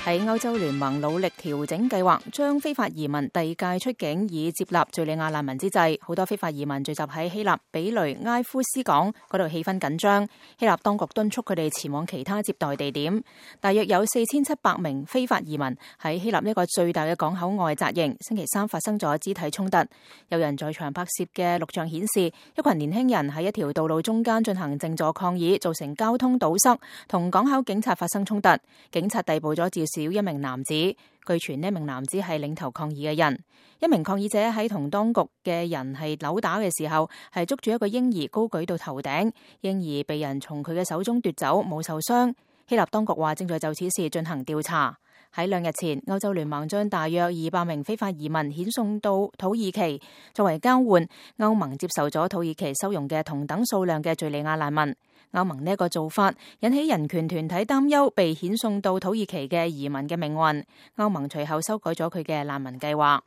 喺歐洲聯盟努力調整計劃，將非法移民遞解出境以接納敘利亞難民之際，好多非法移民聚集喺希臘比雷埃夫斯港，嗰度氣氛緊張。希臘當局敦促佢哋前往其他接待地點。大約有4700名非法移民喺希臘呢個最大嘅港口外紮營。星期三發生咗肢體衝突，有人在場拍攝嘅錄像顯示，一群年輕人喺一條道路中間進行靜坐抗議，造成交通堵塞，同港口警察發生衝突。警察逮捕咗至少一名男子，據傳呢名男子係領頭抗議嘅人。一名抗議者喺同當局嘅人係扭打嘅時候，係捉住一個嬰兒高舉到頭頂，嬰兒被人從佢嘅手中奪走，冇受傷。希臘當局話正在就此事進行調查。喺2日前，歐洲聯盟將大約200名非法移民遣送到土耳其，作為交換，歐盟接受咗土耳其收容嘅同等數量嘅敘利亞難民。歐盟呢個做法引起人權團體擔憂被遣送到土耳其嘅移民嘅命運。歐盟隨後修改咗佢嘅難民計劃。